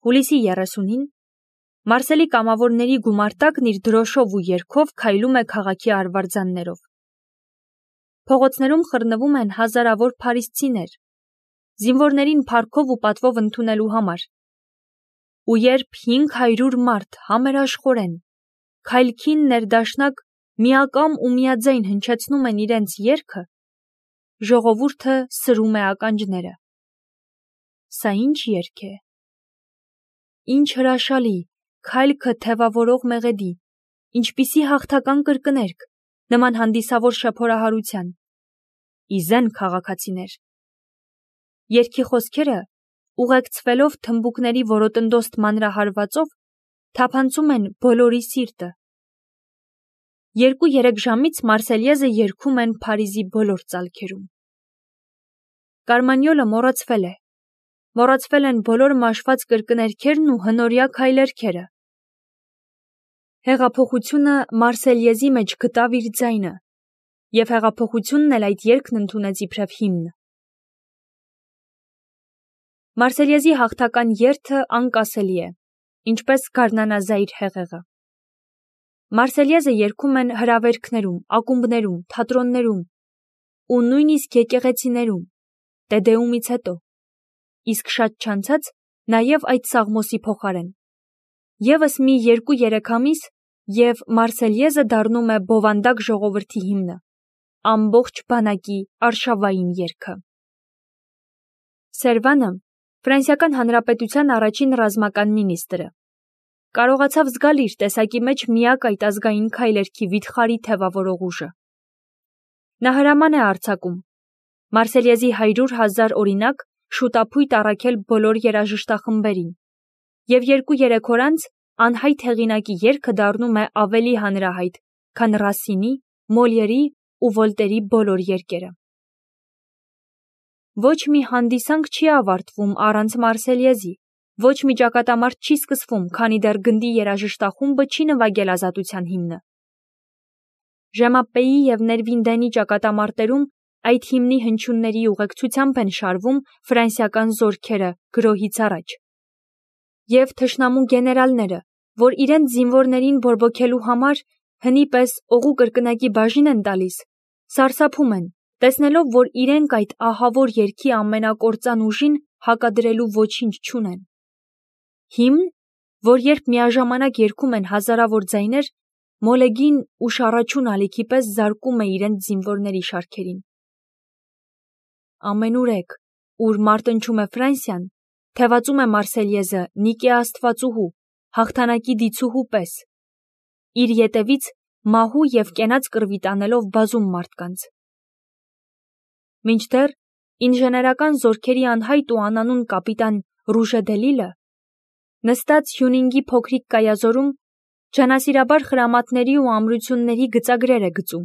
Հուլիսի 30-ին Մարսելի կամավորների գումարտակն իր դրոշով ու երգով քայլում է քաղաքի արվարձաններով։ Փողոցներում խռնվում են հազարավոր փարիսցիներ, զինվորներին փառքով ու պատվով ընդունելու համար։ Ու երբ 500 մարդ համերաշխորեն, քայլքին ներդաշնակ միակամ ու միաձայն հնչեցնում են իրենց երգը, ժողովուրդը սրում է ականջները։ Սա ինչ երգ է։ Ինչ հրաշալի, քայլքը թևավորող մեղեդի, ինչպիսի հաղթական կրկներգ, նման հանդիսավոր շեփորահարության։ Իզեն քաղաքացիներ։ Երգի խոսքերը, ուղեկցվելով թմբուկների որոտնդոստ մանրահարվածով, թափանցում են բոլորի սիրտը։ 2-3 ժամից Մարսելյեզը երգում են Փարիզի բոլոր ծալքերում։ Կարմանյոլը մոռացվել է։ Մոռացվել են բոլոր մաշված կրկներգերն ու հնորյա քայլերգերը։ Հեղափոխությունը Մարսելյեզի մեջ գտավ իր ձայնը, և հեղափոխությունն էլ այդ երգն ընդունեց իբրև հիմն։ Մարսելյեզի հաղթական երթը անկասելի է, ինչպես գարնանազայր հեղեղը։ Մարսելյեզը երգում են հրավերքներում, ակումբներում, թատրոններում ու նույնիսկ եկեղեցիներում, Տեդեումից հետո, իսկ շատ չանցած նաև այդ սաղմոսի փոխարեն։ Եվս մի 2-3 ամիս, և Մարսելյեզը դառնում է բովանդակ ժողովրդի հիմնը, ամբողջ բանակի արշավային երգը։ Սերվանը, Ֆրանսիական Հանրապետության առաջին ռազմական մինիստրը, կարողացավ զգալ իր տեսակի մեջ միակ այդ ազգային քայլերգի վիթխարի թևավորող ուժը։ Նա հրաման է արձակում Մարսելյեզի 100,000 օրինակ շուտափույթ առաքել բոլոր երաժշտախմբերին, և 2-3 օր անց անհայտ հեղինակի երգը դառնում է ավելի հանրահայտ, քան Ռասինի, Մոլիերի ու Վոլտերի բոլոր երգերը։ Ոչ մի հանդիսանք չի ավարտվում առանց Մարսելյեզի, ոչ մի ճակատամարտ չի սկսվում, քանի դեռ գնդի երաժշտախումբը չի նվագել ազատության հիմնը։ Ժեմապեի և Ներվինդենի ճակատամարտերում այդ հիմնի հնչյունների ուղեկցությամբ են շարվում ֆրանսիական զորքերը գրոհից առաջ։ Եվ թշնամու գեներալները, որ իրենց զինվորներին բորբոքելու համար հնի պես օղու կրկնակի բաժին են տալիս, սարսափում են, տեսնելով, որ իրենք այդ ահավոր երգի ամենակործան ուժին հակադրելու ոչինչ չունեն։ Հիմն, որ երբ միաժամանակ երգում են հազարավոր ձայներ, մոլեգին ու շառաչուն ալիքի պես զարկում է իրենց զինվորների շարքերին։ Ամենուրեք, ուր մարտնչում է Ֆրանսիան, թևածում է Մարսելյեզը Նիկե աստվածուհու, հաղթանակի դիցուհու պես, իր ետևից մահու և կենաց կռվի տանելով բազում մարդկանց։ Մինչդեռ ինժեներական զորքերի անհայտ ու անանուն կապիտան Ռուժե դե Լիլը, նստած Հյունինգի փոքրիկ կայազորում, ջանասիրաբար խրամատների ու ամրությունների գծագրեր է գծում։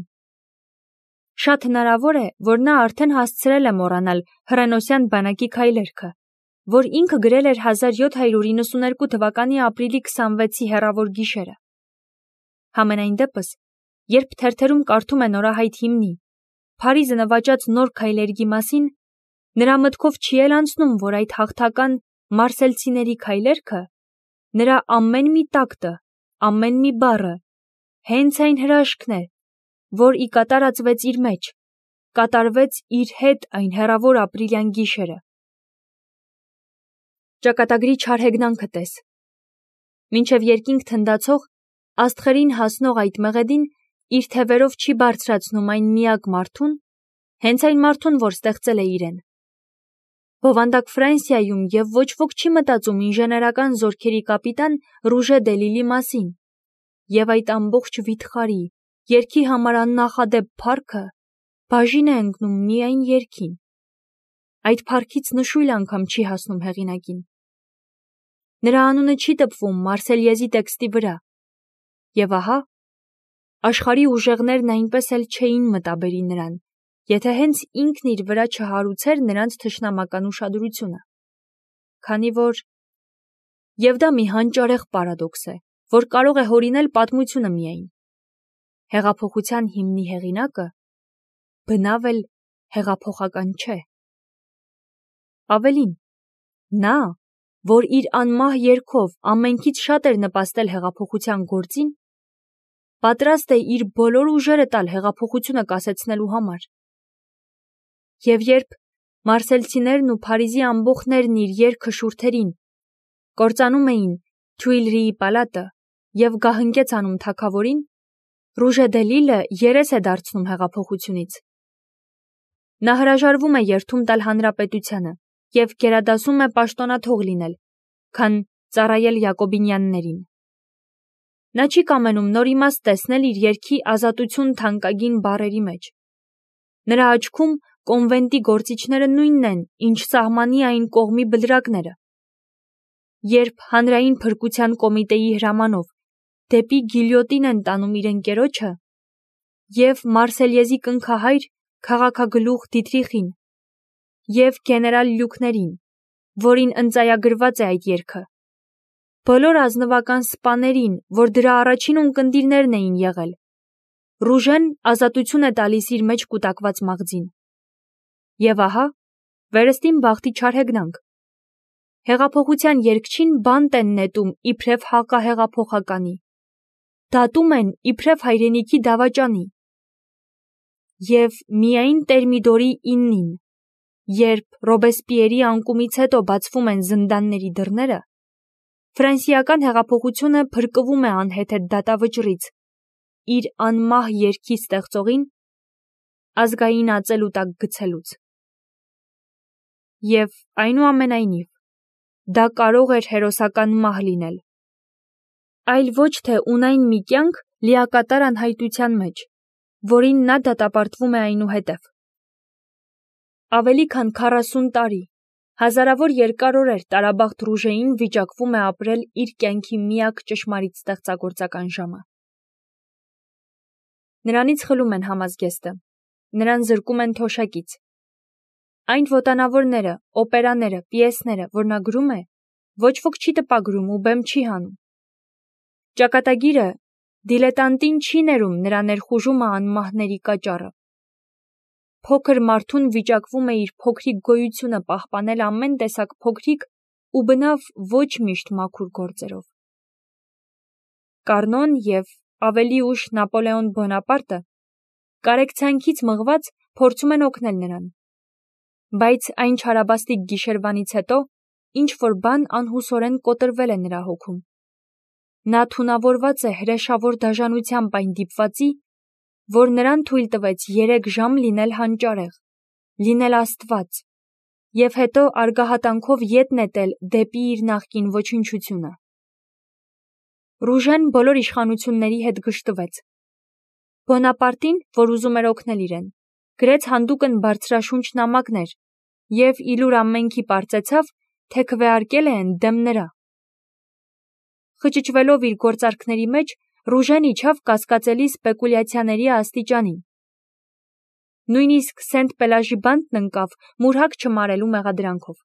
Շատ հնարավոր է, որ նա արդեն հասցրել է մոռանալ հռենոսյան բանակի քայլերգը, որ ինքը գրել էր 1792 թվականի ապրիլի 26-ի հեռավոր գիշերը։ Համենայն դեպս, երբ թերթերում կարդում է նորահայտ հիմնի, Փարիզը նվաճած նոր քայլերգի մասին, նրա մտքով չի էլ անցնում, որ այդ հաղթական մարսելցիների քայլերգը, նրա ամեն մի տակտը, ամեն մի բառը, հենց այն հրաշքն է, որ ի կատարածվեց իր մեջ, կատարվեց իր հետ այն հեռավոր ապրիլյան գիշերը։ Ճակատագրի չար հեգնանքը տես։ Մինչև երկինք թնդացող, աստղերին հասնող այդ մեղեդին իր թևերով չի բարձրացնում այն միակ մարդուն, հենց այն մարդուն, որ ստեղծել է իրեն։ Բովանդակ Ֆրանսիայում և ոչ ոք չի մտածում ինժեներական զորքերի կապիտան Ռուժե դե Լիլի մասին, և այդ ամբողջ վիթխարի, երգի համար աննախադեպ փառքը բաժին է ընկնում միայն երգին։ Այդ փառքից նշույլ անգամ չի հասնում հեղինակին։ Նրա անունը չի տպվում Մարսելյեզի տեքստի վրա։ Եվ ահա, աշխարհի ուժեղներն այնպես էլ չէին մտաբերի նրան, եթե հենց ինքն իր վրա չհարուցեր նրանց թշնամական ուշադրությունը։ Քանի որ… Եվ դա մի հանճարեղ պարադոքս է, որ կարող է հորինել պատմությունը միայն։ Հեղափոխության հիմնի հեղինակը բնավ էլ հեղափոխական չէ։ Ավելին, նա, որ իր անմահ երգով ամենքից շատ էր նպաստել հեղափոխության գործին, պատրաստ է իր բոլոր ուժերը տալ հեղափոխությունը կասեցնելու համար։ Եվ երբ մարսելցիներն ու Փարիզի ամբոխներն իր երգը շուրթերին կործանում էին Թյուիլրիի պալատը և գահընկեց անում թագավորին, Ռուժե դե Լիլը երես է դարձնում հեղափոխությունից։ Նա հրաժարվում է երդում տալ հանրապետությանը և գերադասում է պաշտոնաթող լինել, քան ծառայել յակոբինյաններին։ Նա չի կամենում նոր իմաստ տեսնել իր երգի ազատություն թանկագին բառերի մեջ։ Նրա աչքում կոնվենտի գործիչները նույնն են, ինչ սահմանի այն կողմի բլրակները։ Երբ հանրային փրկության կոմիտեի հրամանով դեպի գիլյոտին են տանում իր ընկերոջը և Մարսելյեզի կնքահայր քաղաքագլուխ Դիթրիխին և գեներալ Լյուկներին, որին ընծայագրված է այդ երգը, բոլոր ազնվական սպաներին, որ դրա առաջին ունկնդիրներն էին եղել, Ռուժեն ազատություն է տալիս իր մեջ կուտակված մաղձին։ Եվ ահա, վերստին բախտի չար հեգնանք։ Հեղափոխության երգչին բանտ են նետում իբրև հակահեղափոխականի, դատում են իբրև հայրենիքի դավաճանի։ Եվ միայն Տերմիդորի 9-ին, երբ Ռոբեսպիերի անկումից հետո բացվում են զնդանների դռները, ֆրանսիական հեղափոխությունը փրկվում է անհեթեթ դատավճռից, իր անմահ երգի ստեղծողին ազգային ածելու տակ գցելուց։ Եվ այնուամենայնիվ, դա կարող էր հերոսական մահ լինել, այլ ոչ թե ունայն մի կյանք լիակատար անհայտության մեջ, որին նա դատապարտվում է այնուհետև։ Ավելի քան 40 տարի, հազարավոր երկար օրեր տարաբախտ Ռուժեին վիճակվում է ապրել իր կյանքի միակ ճշմարիտ ստեղծագործական ժամը։ Նրանից խլում են համազգեստը, նրան զրկում են թոշակից։ Այն ոտանավորները, օպերաները, պիեսները, որ նա գրում է, ոչ ոք չի տպագրում ու բեմ չի հանում։ Ճակատագիրը դիլետանտին չի ներում նրա ներխուժումը անմահների կաճառը։ Փոքր մարդուն վիճակվում է իր փոքրիկ գոյությունը պահպանել ամեն տեսակ փոքրիկ ու բնավ ոչ միշտ մաքուր գործերով։ Կարնոն և ավելի ուշ Նապոլեոն Բոնապարտը կարեկցանքից մղված փորձում են օգնել նրան։ Բայց այն չարաբաստիկ գիշերվանից հետո ինչ-որ բան անհուսորեն կոտրվել է նրա հոգում։ Նա թունավորված է հրեշավոր դաժանությամբ այն դիպվածի, որ նրան թույլ տվեց 3 ժամ լինել հանճարեղ, լինել Աստված, և հետո արգահատանքով ետ նետել դեպի իր նախկին ոչնչությունը։ Ռուժեն բոլոր իշխանությունների հետ գժտվեց։ Բոնապարտին, որ ուզում էր օգնել իրեն, գրեց հանդուկն բարձրաշունչ նամակներ և իլուր ամենքի պարծեցավ, թե քվեարկել են դեմ նրա։ Խճճվելով իր գործարքների մեջ, Ռուժեն իջավ կասկածելի սպեկուլյացիաների աստիճանին։ Նույնիսկ Սենտ Պելաժի բանտն ընկավ մուրհակ չմարելու մեղադրանքով։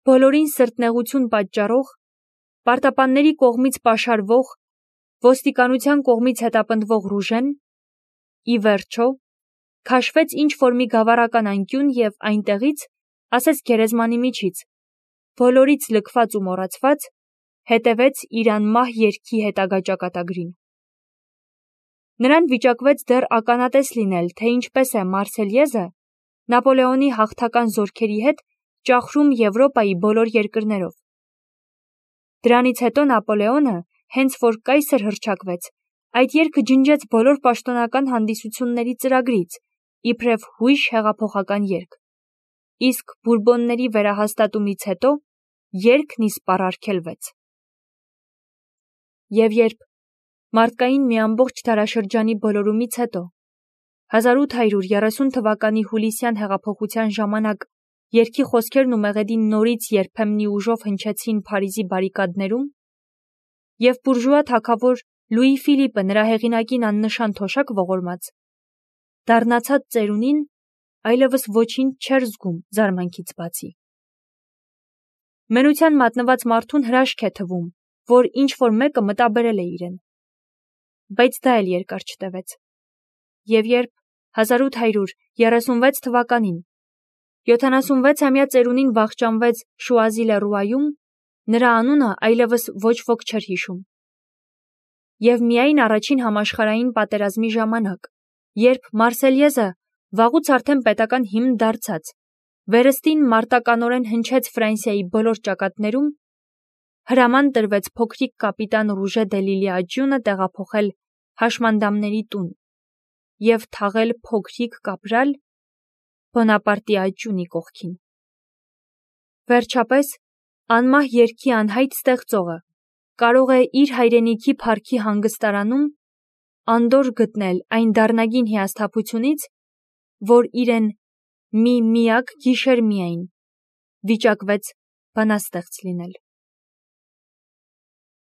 Բոլորին սրտնեղություն պատճառող, պարտապանների կողմից պաշարվող, ոստիկանության կողմից հետապնդվող Ռուժեն, ի վերջո, քաշվեց ինչ-որ մի գավառական անկյուն և այնտեղից, ասես գերեզմանի միջից, բոլորից լքված ու մոռացված, հետևեց իր անմահ երգի հետագա ճակատագրին։ Նրան վիճակվեց դեռ ականատես լինել, թե ինչպես է Մարսելյեզը Նապոլեոնի հաղթական զորքերի հետ ճախրում Եվրոպայի բոլոր երկրներով։ Դրանից հետո Նապոլեոնը, հենց որ կայսր հռչակվեց, այդ երգը ջնջեց բոլոր պաշտոնական հանդիսությունների ծրագրից, իբրև հույժ հեղափոխական երգ, իսկ Բուրբոնների վերահաստատումից հետո երգն իսպառ արգելվեց։ Եվ երբ մարդկային մի ամբողջ դարաշրջանի բոլորումից հետո 1830 թվականի հուլիսյան հեղափոխության ժամանակ երգի խոսքերն ու մեղեդին նորից երբեմնի ուժով հնչեցին Փարիզի բարիկադներում, և բուրժուա թագավոր Լուի Ֆիլիպը նրա հեղինակին աննշան թոշակ ողորմած, դառնացած ծերունին այլևս ոչինչ չէր զգում զարմանքից բացի։ Մենության մատնված մարդուն հրաշք է թվում, որ ինչ-որ մեկը մտաբերել է իրեն։ Բայց դա էլ երկար չտևեց։ Եվ երբ 1836 թվականին 76-ամյա ծերունին վախճանվեց Շուազի լեռուայում, նրա անունը այլևս ոչ ոք չէր հիշում։ Եվ միայն առաջին համաշխարհային պատերազմի ժամանակ, երբ Մարսելյեզը վաղուց արդեն պետական հիմն դարձած, վերստին մարտականորեն հնչեց Ֆրանսիայի բոլոր ճակատներում, հրաման տրվեց փոքրիկ կապիտան Ռուժե դե Լիլի աջյունը տեղափոխել հաշմանդամների տուն և թաղել փոքրիկ կապրալ Բոնապարտի աջյունի կողքին։ Վերջապես, անմահ երգի անհայտ ստեղծողը կարող է իր հայրենիքի փառքի հանգստարանում անդորր գտնել այն դառնագին հիասթափությունից, որ իրեն մի միակ գիշեր միայն վիճակվեց բանաստեղծ լինել։